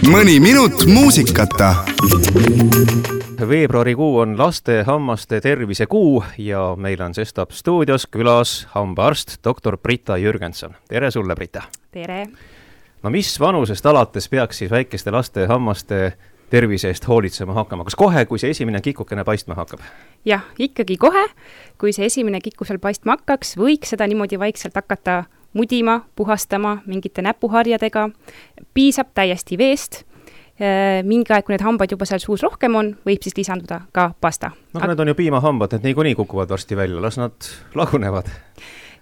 Mõni minut muusikata. Veebruarikuu on laste hammaste tervise kuu ja meil on sestap stuudios külas hambaarst doktor Brita Jürgenson. Tere sulle, Brita! Tere! No mis vanusest alates peaks siis väikeste laste hammaste tervise eest hoolitsema hakkama? Kas kohe, kui see esimene kikukene paistma hakkab? Jah, ikkagi kohe, kui see esimene kiku seal paistma hakkaks, võiks seda niimoodi vaikselt hakata mudima, puhastama mingite näpuharjadega, piisab täiesti veest. Mingi aeg, kui need hambad juba seal suus rohkem on, võib siis lisanduda ka pasta. Need on ju piimahambad, need niikuinii kukuvad varsti välja, las nad lagunevad.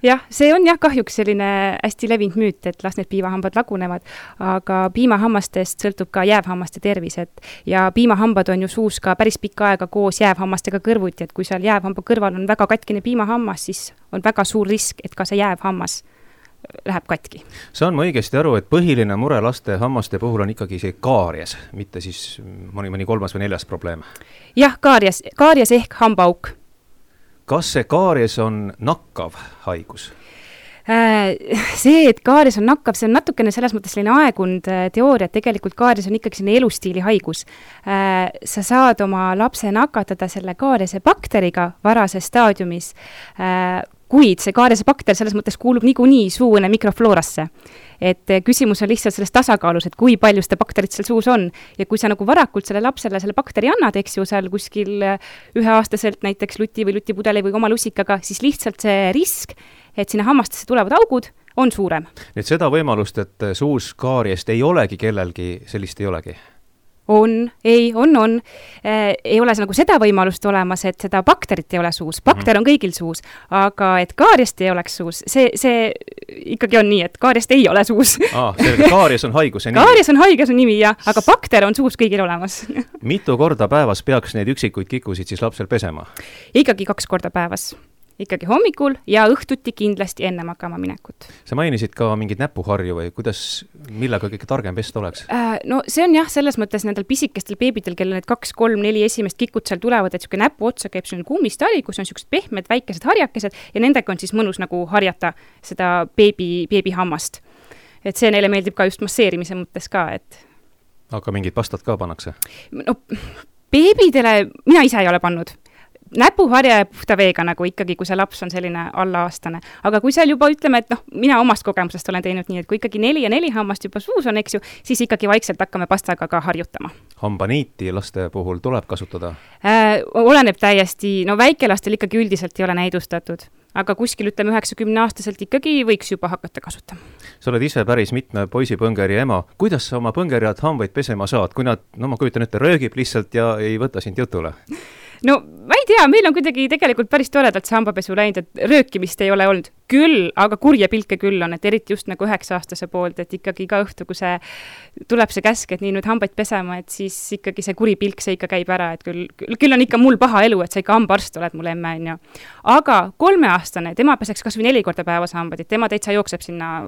Jah, see on kahjuks selline hästi levinud müüt, et las need piimahambad lagunevad, aga piimahammastest sõltub ka jäävhammaste tervis, ja piimahambad on ju suus ka päris pikka aega koos jäävhammastega kõrvuti, et kui seal jäävhamba kõrval on väga katkine piimahammas, siis on väga suur risk, et ka see jäävhammas läheb katki. Saan ma õigesti aru, et põhiline mure laste hammaste puhul on ikkagi see kaaries, mitte siis mõni kolmas või neljas probleem? Jah, kaaries ehk hambaauk. Kas see kaaries on nakkav haigus? See, et kaaries on nakkav, see on natukene selles mõttes selline aegunud teooria, et tegelikult kaaries on ikkagi selline elustiili haigus. Sa saad oma lapse nakatada selle kaariese bakteriga varases staadiumis, kuid see kaariese bakter selles mõttes kuulub niikuinii suune mikrofloorasse. Et küsimus on lihtsalt selles tasakaalus, et kui palju seda bakterit seal suus on. Ja kui sa nagu varakult selle lapsele selle bakteri annad, eks ju, seal kuskil 1-aastaselt näiteks luti või lutipudeli või oma lusikaga, siis lihtsalt see risk, et sinna hammastesse tulevad augud, on suurem. Nüüd seda võimalust, et suus kaariest ei olegi kellelgi, sellist ei olegi? On. Ei ole nagu seda võimalust olemas, et seda bakterit ei ole suus. Bakter on kõigil suus, aga et kaariest ei oleks suus, see ikkagi on nii, et kaariest ei ole suus. Kaaries on haiguse nimi. Kaaries on haiguse nimi, jah, aga bakter on suus kõigil olemas. Mitu korda päevas peaks neid üksikuid kikusid siis lapsel pesema? Ikkagi 2 korda päevas. Ikkagi hommikul ja õhtuti kindlasti enne magama minekut. Sa mainisid ka mingid näpuharju või millega kõige targem pesta oleks? No see on selles mõttes nendel pisikestel beebidel, kellel need 2, 3, 4 esimest kikut seal tulevad, et niisugune näpu otsa käib selline kummistali, kus on niisugused pehmed väikesed harjakesed ja nendega on siis mõnus nagu harjata seda beebi hammast. Et see neile meeldib ka just masseerimise mõttes ka, et... Aga mingid pastad ka pannakse? No beebidele mina ise ei ole pannud. Näpuharja ja puhta veega nagu ikkagi, kui see laps on selline alla-aastane. Aga kui seal juba ütleme, et mina omast kogemusest olen teinud nii, et kui ikkagi 4 ja 4 hammast juba suus on, eks ju, siis ikkagi vaikselt hakkame pastaga ka harjutama. Hambaniiti laste puhul tuleb kasutada? Oleneb täiesti, väikelastel ikkagi üldiselt ei ole näidustatud. Aga kuskil 90-aastaselt ikkagi võiks juba hakata kasutama. Sa oled ise päris mitme poisipõngeri ema. Kuidas sa oma põngerjad hambaid pesema saad, kui nad, ma kujutan ette, röögib lihtsalt ja ei võta sind jutule? No ma ei tea, meil on kuidagi tegelikult päris toredalt see hambapesu läinud, et röökimist ei ole olnud küll, aga kurje pilke küll on, et eriti just nagu 9-aastase poolt, et ikkagi ka õhtu, kui see tuleb see käsk, et nii nüüd hambaid pesema, et siis ikkagi see kuri pilk see ikka käib ära, et küll on ikka mul paha elu, et sa ikka hambaarst oled mul emme, on ju. Aga 3-aastane, tema peseks kas või 4 korda päevas hambad, et tema täitsa jookseb sinna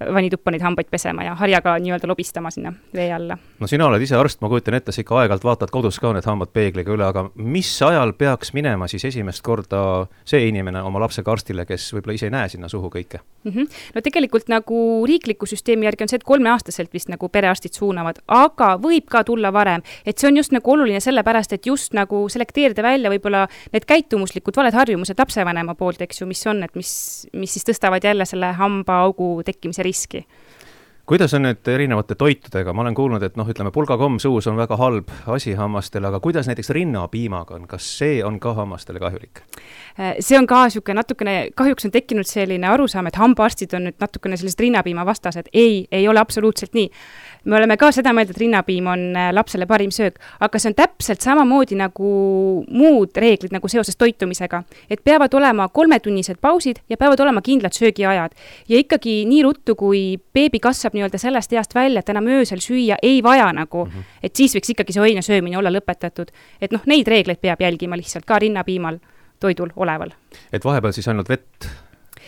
vanituppa neid hambaid pesema ja harjaga nii-öelda lobistama sinna vee alla. No sina oled ise arst, ma kujutan ette, sa ikka aegalt vaatad kodus ka need hambad peegliga üle, aga mis ajal peaks minema siis esimest korda see inimene oma lapsega arstile, kes võib-olla ise ei näe sinna suhu kõike? No tegelikult nagu riikliku süsteemi järgi on see, et 3-aastaselt vist nagu perearstid suunavad, aga võib ka tulla varem, et see on just nagu oluline sellepärast, et just nagu selekteerida välja võib-olla need käitumuslikud valed harjumused lapsevanema poolt, eks ju, mis on, et mis siis tõstavad jälle selle hambaaugu tekkimise riski. Kuidas on nüüd erinevate toitudega? Ma olen kuulnud, et ütleme, pulgakomm suus on väga halb asi hammastele, aga kuidas näiteks rinnapiimaga on? Kas see on ka hammastele kahjulik? See on ka natukene, kahjuks on tekkinud selline arusaam, et hambaarstid on nüüd natukene sellised rinnapiima vastased. Ei ole absoluutselt nii. Me oleme ka seda meelt, et rinnapiim on lapsele parim söök, aga see on täpselt samamoodi nagu muud reeglid nagu seoses toitumisega, et peavad olema 3-tunnised pausid ja peavad olema kindlad söögiajad. Ja ikkagi nii ruttu, kui beebi kasvab nii-öelda sellest east välja, et enam öösel süüa ei vaja nagu, et siis võiks ikkagi see õine söömine olla lõpetatud. Et neid reegleid peab jälgima lihtsalt ka rinnapiimal toidul oleval. Et vahepeal siis ainult vett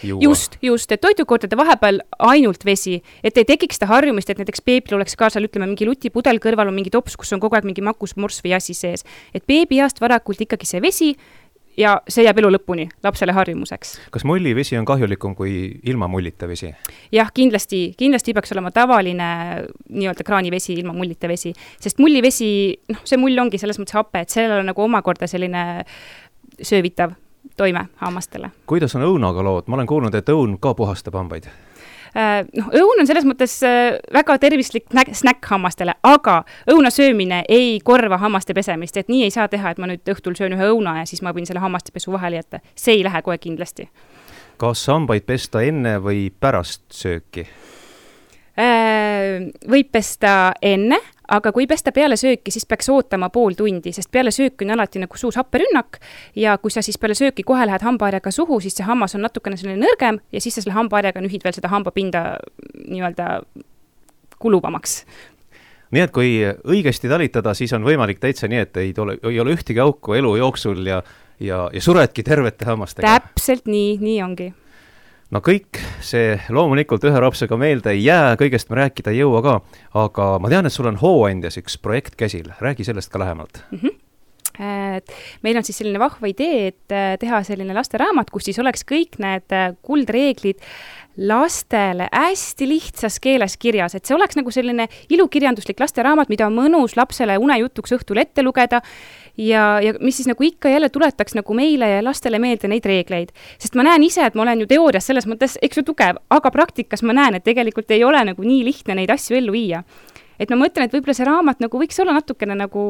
juua? Just, et toidukordade vahepeal ainult vesi, et ei tekiks seda harjumist, et näiteks beebil oleks ka seal, ütleme, mingi lutipudel kõrval on mingi tops, kus on kogu aeg mingi makus, morss või asi sees. Et beebiast varakult ikkagi see vesi ja see jääb elu lõpuni lapsele harjumuseks. Kas mullivesi on kahjulikum kui ilma mullita vesi? Jah, kindlasti peaks olema tavaline nii-öelda kraanivesi ilma mullita vesi, sest mullivesi, see mull ongi selles mõttes hape, et sellel on nagu omakorda selline söövitav toime hammastele. Kuidas on õunaga lood? Ma olen kuulnud, et õun ka puhastab hambaid. Õun on selles mõttes väga tervislik snäkk hammastele, aga õuna söömine ei korva hammaste pesemist, et nii ei saa teha, et ma nüüd õhtul söön ühe õuna ja siis ma võin selle hammastepesu vahele jätta. See ei lähe kohe kindlasti. Kas hambaid pesta enne või pärast sööki? Võib pesta enne, aga kui pesta peale sööki, siis peaks ootama pool tundi, sest peale sööki on alati nagu suus happerünnak ja kui sa siis peale sööki kohe lähed hambaharjaga suhu, siis see hammas on natukene selline nõrgem ja siis sa selle hambaharjaga nühid veel seda hambapinda nii-öelda kuluvamaks. Nii et kui õigesti talitada, siis on võimalik täitsa nii, et ei ole ühtegi auku elu jooksul ja suredki tervete hammastega. Täpselt nii ongi. No kõik see loomulikult ühe rapsega meelde ei jää, kõigest me rääkida ei jõua ka, aga ma tean, et sul on Hooandjas üks projekt käsil. Räägi sellest ka lähemalt. Meil on siis selline vahva idee, et teha selline lasteraamat, kus siis oleks kõik need kuldreeglid lastele hästi lihtsas keeles kirjas, et see oleks nagu selline ilukirjanduslik lasteraamat, mida on mõnus lapsele unejutuks õhtul ette lugeda ja mis siis nagu ikka jälle tuletaks nagu meile ja lastele meelde neid reegleid. Sest ma näen ise, et ma olen ju teoorias selles mõttes, eks ju tugev, aga praktikas ma näen, et tegelikult ei ole nagu nii lihtne neid asju ellu viia. Et ma mõtlen, et võib-olla see raamat nagu võiks olla natukene nagu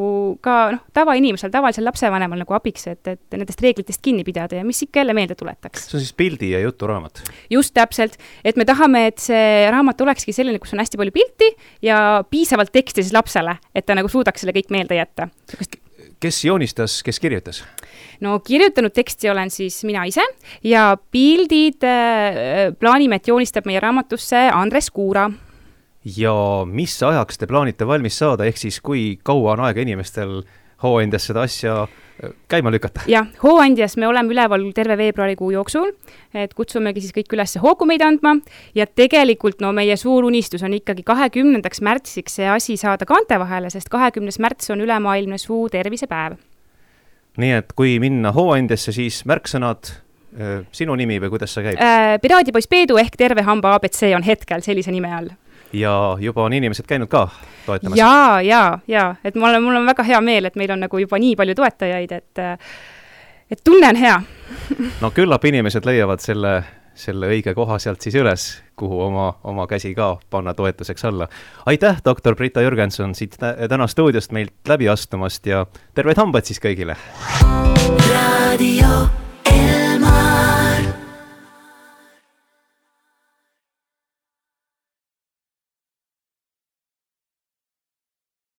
ka tavainimesel, tavalisel lapsevanemal nagu abiks, et nendest reeglitest kinni pidada ja mis ikka jälle meelde tuletaks. See on siis pildi ja juturaamat? Just täpselt, et me tahame, et see raamat olekski selline, kus on hästi palju pilti ja piisavalt teksti siis lapsele, et ta nagu suudaks selle kõik meelde jätta. Kes joonistas, kes kirjutas? No kirjutanud teksti olen siis mina ise ja pildid plaanime, et joonistab meie raamatusse Andres Kuura. Ja mis ajaks te plaanite valmis saada, ehk siis kui kaua on aega inimestel Hooandjas seda asja käima lükata? Jah, Hooandjas me oleme üleval terve veebruarikuu jooksul, et kutsumegi siis kõik üles hoogu meid andma ja tegelikult meie suur unistus on ikkagi 20. märtsiks see asi saada kaante vahele, sest 20. märts on ülemaailmne suu tervisepäev. Nii et kui minna Hooandjasse, siis märksõnad, sinu nimi või kuidas see käib? Piraadipoiss Peedu ehk terve hamba ABC on hetkel sellise nime all. Ja juba on inimesed käinud ka toetamas? Ja, et mul on väga hea meel, et meil on nagu juba nii palju toetajaid, et tunne on hea. No küllap inimesed leiavad selle õige koha sealt siis üles, kuhu oma käsi ka panna toetuseks alla. Aitäh, doktor Brita Jürgenson, siit täna stuudiost meilt läbi astumast ja terveid hambaid siis kõigile! Radio